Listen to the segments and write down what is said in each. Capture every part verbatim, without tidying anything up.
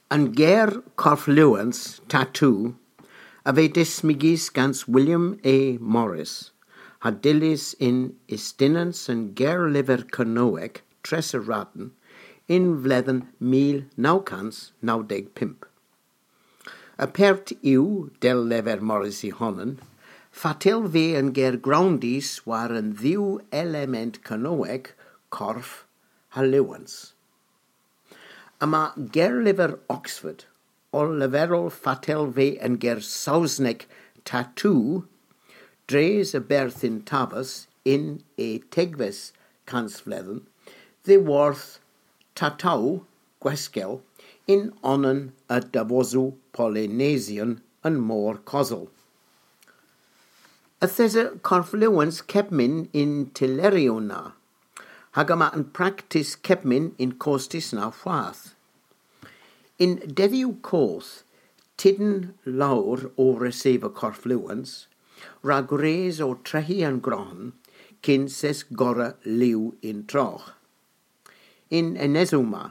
An ger korfluwans, tattoo, a veu dismygys gans William A. Morris, ha dyllys yn ustynans an gerlyver Kernowek Tresoradn yn vledhen mil naw kans naw deg pymp. Apert yw, dell lever Morris y honan, fatel veu an ger growndys war an dhew element Kernowek, korf ha luwans. Yma gerlyver Oxford ow leverel fatel veu an ger Sowsnek tattoo dres a berth yn tavas yn y degves kansvledhen, dhyworth tatow, gweskel, yn onan a davosow Polynesyon an Mor Kosel. Yth esa korfluwans kepmyn y'n tylleryow na, hag yma an praktis kepmyn y'n kostys na hwath. Yn dedhyow koth, tiden lowr o reseva korfluwans, rag res o treghi an grohn, kyns es gorra liw yn trogh. Y'n enesow ma,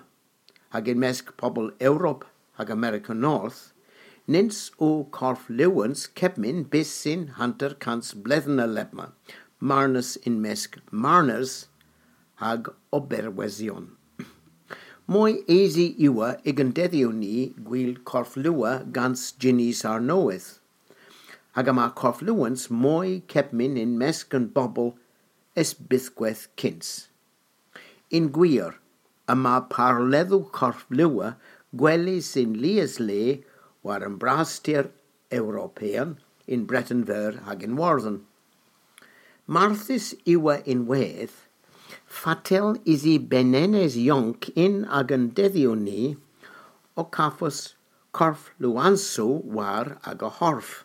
hag yn mysk pobel Europa hag Amerika North, nyns o korfluwans kepmyn bys yn hanter kans bledhen a lebma, marnas yn mysk marners hag oberwysyon. Moy esi yw y'gan dedhyow ni gwil korfluwa gans jynnys arnowydh, hag yma korfluwans moy kepmyn yn mysk an bobel es bythkweth kyns. Yn gwir, yma parledhow korfluwa gwelys yn lies le war an braster European, yn Breten Veur hag yn Iwerdhon. Marthys yw ynwedh, fatel usi benenes yonk yn agan dedhyow ni ow kavos korfluwansow war aga horf.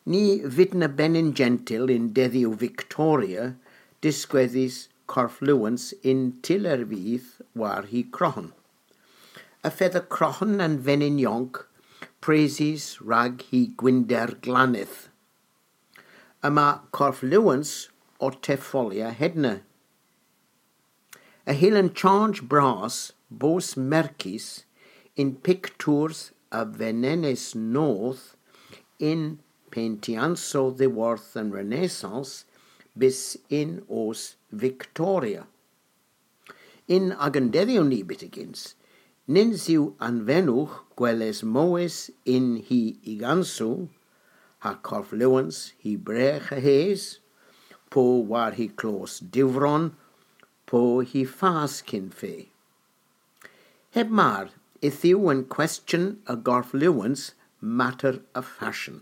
Ny vydna benyn jentyl yn dedhyow Victoria diskwedhes korfluwans yn tyllervydh war hy krohn. Y fedha krohn an venyn yonk presys rag hy gwynder glanydh. Yma korfluwans ow tefolya hedna. Y hyllan charge bras bos merkys yn piktours a venenes noth yn payntyansow dhyworth an Renaissance bys yn oos Victoria. Yn agan dedhyow ni byttegyns, nyns yw anvenowgh gwelys mowes yn hy ugansow, ha korfluwans hy bregh a-hys, po war hy klos diwvron, po hy fas kyn fe. Heb mar, yth yw an kwestyon a gorfluwans mater a fashion.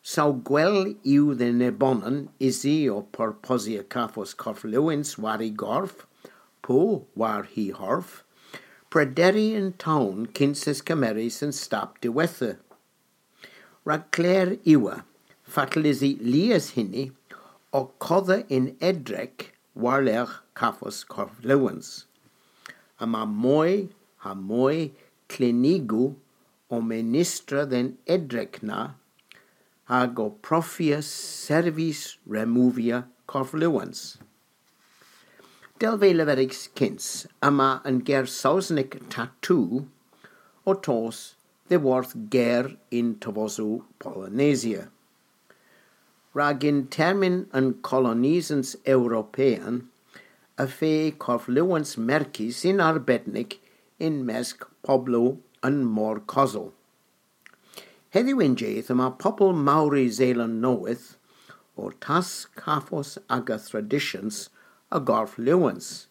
Saw gwell yw dhe nebonan usi ow porposya kavos korfluwans war hy gorf, po war hy horf, prederi yn town kyns es kemeres an stap diwettha. Rag kler yw, fatel usi lies huni, ow kodha yn edrek war-lergh kavos korfluwans. Yma moy ha moy klinigow ow menestra dhe'n edrek na, hag ow profya servis removya korfluwans. Dell veu leverys kyns, yma an ger Sowsnek tattoo ow tos dhyworth ger yn tovosow Polynesia. Rag yn termyn an kolonysans European, y feu korfluwans merkys yn arbednik yn mysk poblow an Mor Kosel. Hedhyw y'n jydh yma pobel Mowri Seland Nowydh ow taskavos aga tradisyans a gorfluwans,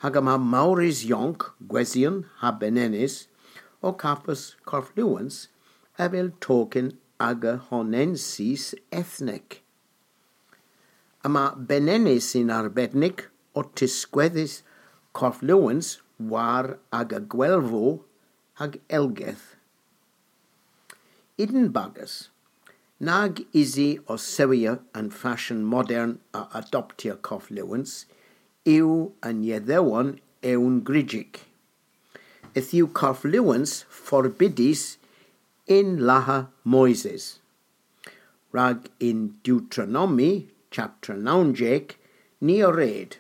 hag yma Mowris yonk, gwesyon ha benenes, ow kavos korfluwans avel token aga honensis ethnek. Yma benenes yn arbednik ow tiskwedhes korfluwans war aga gwelvow hag elgeth. Y'n bagas, nag usi ow sewya an fashion modern a adoptya korfluwans, yw an yedhewon ewn gryjyk. Yth yw korfluwans forbydys yn Laha Moyses. Rag yn Deuteronomi, chaptra nownsek, ni a red: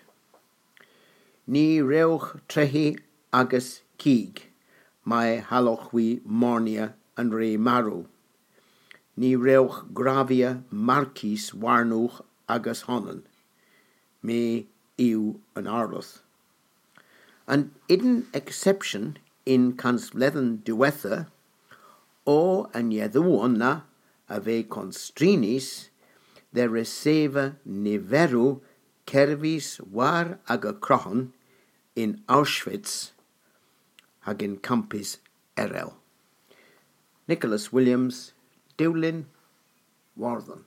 Ny wrewgh treghi agas kig, May hallowgh hwi marnia an re marow. Ny wrewgh gravia markys warnowgh agas honan. My yw an arloedh. An eden exception yn kansbledhen diwettha o an yethowon na a veu konstrynys dhe reseva niverow kervis war aga krohon yn Auschwitz hag yn kampys erel. Nicholas Williams, Dewlin Wardhan.